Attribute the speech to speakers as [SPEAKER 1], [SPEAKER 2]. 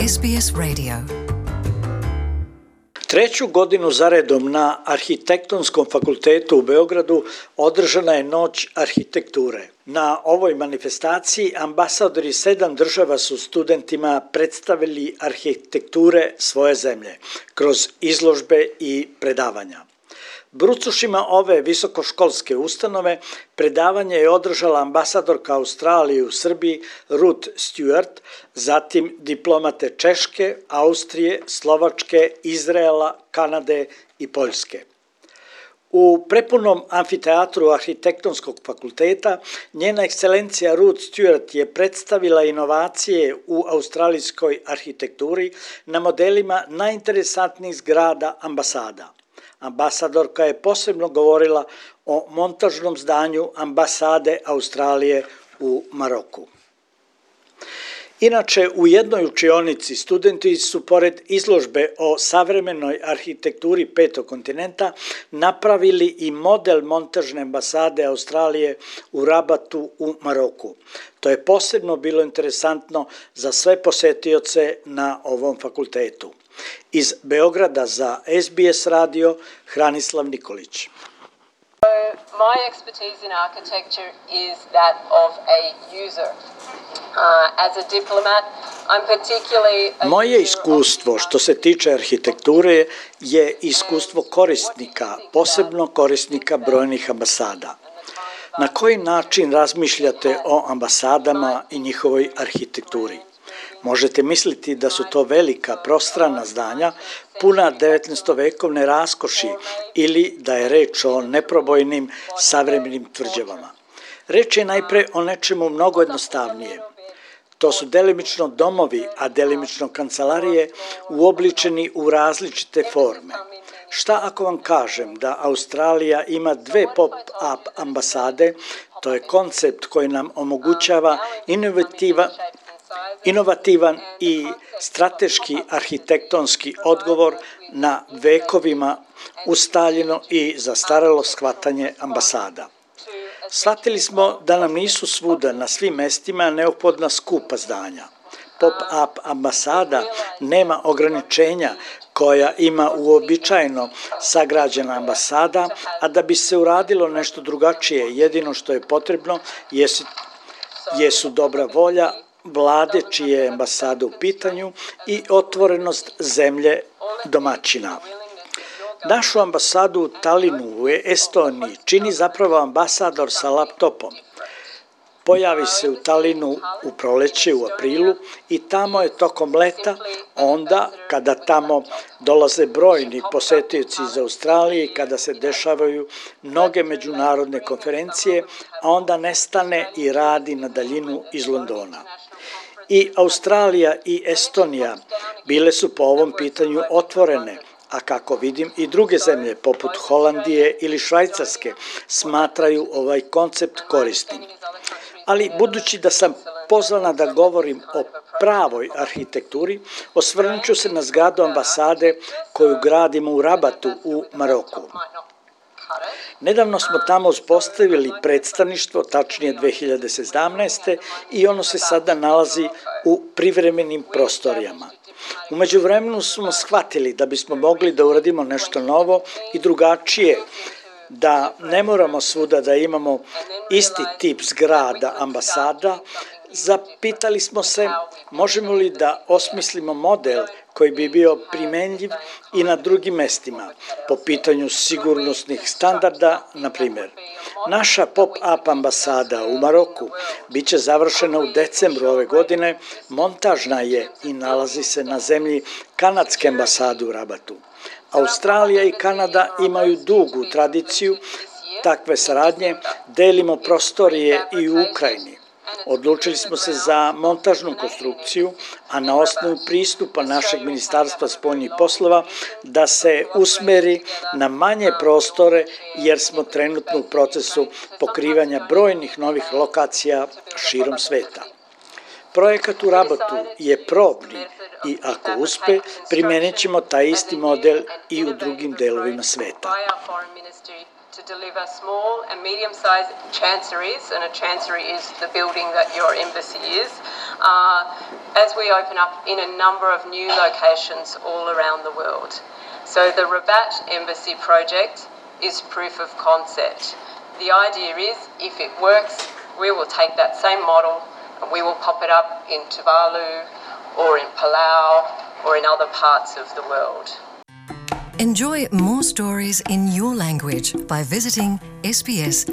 [SPEAKER 1] SBS Radio.
[SPEAKER 2] Treću godinu zaredom na Arhitektonskom fakultetu u Beogradu održana je Noć arhitekture. Na ovoj manifestaciji ambasadori 7 država su studentima predstavili arhitekture svoje zemlje kroz izložbe i predavanja. Brucošima ove visokoškolske ustanove predavanje je održala ambasadorka Australije u Srbiji Ruth Stewart, zatim diplomate Češke, Austrije, Slovačke, Izraela, Kanade i Poljske. U prepunom amfiteatru Arhitektonskog fakulteta njena ekscelencija Ruth Stewart je predstavila inovacije u australijskoj arhitekturi na modelima najinteresantnijih zgrada ambasada. Ambasadorka je posebno govorila o montažnom zdanju ambasade Australije u Maroku. Inače, u jednoj učionici studenti su pored izložbe o savremenoj arhitekturi petog kontinenta napravili i model montažne ambasade Australije u Rabatu u Maroku. To je posebno bilo interesantno za sve posetioce na ovom fakultetu. Iz Beograda za SBS radio Hranislav Nikolić.
[SPEAKER 3] My expertise in architecture is that of a user. As a diplomat, I'm particularly
[SPEAKER 2] Moje iskustvo što se tiče arhitekture je iskustvo korisnika, posebno korisnika brojnih ambasada. Na koji način razmišljate o ambasadama i njihovoj arhitekturi? Možete misliti da su to velika prostrana zdanja, puna 19. vekovne raskoši ili da je reč o neprobojnim savremenim tvrđavama. Reč je najpre o nečemu mnogo jednostavnije. To su delimično domovi, a delimično kancelarije uobličeni u različite forme. Šta ako vam kažem da Australija ima 2 pop-up ambasade, to je koncept koji nam omogućava inovativan i strateški arhitektonski odgovor na vekovima ustaljeno i zastarelo shvatanje ambasada. Shvatili smo da nam nisu svuda na svim mestima neophodna skupa zdanja. Pop-up ambasada nema ograničenja koja ima uobičajeno sagrađena ambasada, a da bi se uradilo nešto drugačije, jedino što je potrebno jesu dobra volja vlade čije je ambasada u pitanju i otvorenost zemlje domaćina. Našu ambasadu u Talinu u Estoniji čini zapravo ambasador sa laptopom. Pojavi se u Talinu u proleće, u aprilu i tamo je tokom leta, onda kada tamo dolaze brojni posetioci iz Australije i kada se dešavaju mnoge međunarodne konferencije, a onda nestane i radi na daljinu iz Londona. I Australija i Estonija bile su po ovom pitanju otvorene, a kako vidim i druge zemlje poput Holandije ili Švajcarske smatraju ovaj koncept korisnim. Ali budući da sam pozvana da govorim o pravoj arhitekturi, osvrnut ću se na zgradu ambasade koju gradimo u Rabatu u Maroku. Nedavno smo tamo uspostavili predstavništvo, tačnije 2017. i ono se sada nalazi u privremenim prostorijama. U međuvremenu smo shvatili da bismo mogli da uradimo nešto novo i drugačije, da ne moramo svuda da imamo isti tip zgrada ambasada. Zapitali smo se možemo li da osmislimo model koji bi bio primenljiv i na drugim mestima, po pitanju sigurnosnih standarda, na primjer. Naša pop-up ambasada u Maroku biće završena u decembru ove godine, montažna je i nalazi se na zemlji kanadske ambasade u Rabatu. Australija i Kanada imaju dugu tradiciju takve saradnje, delimo prostorije i u Ukrajini. Odlučili smo se za montažnu konstrukciju, a na osnovu pristupa našeg Ministarstva spoljnih poslova da se usmeri na manje prostore jer smo trenutno u procesu pokrivanja brojnih novih lokacija širom sveta. Projekat u Rabatu je probni i ako uspe, primenit ćemo taj isti model i u drugim delovima sveta.
[SPEAKER 3] To deliver small and medium-sized chanceries, and a chancery is the building that your embassy is, as we open up in a number of new locations all around the world. So the Rabat Embassy project is proof of concept. The idea is, if it works, we will take that same model and we will pop it up in Tuvalu or in Palau or in other parts of the world.
[SPEAKER 1] Enjoy more stories in your language by visiting sbs.com.au.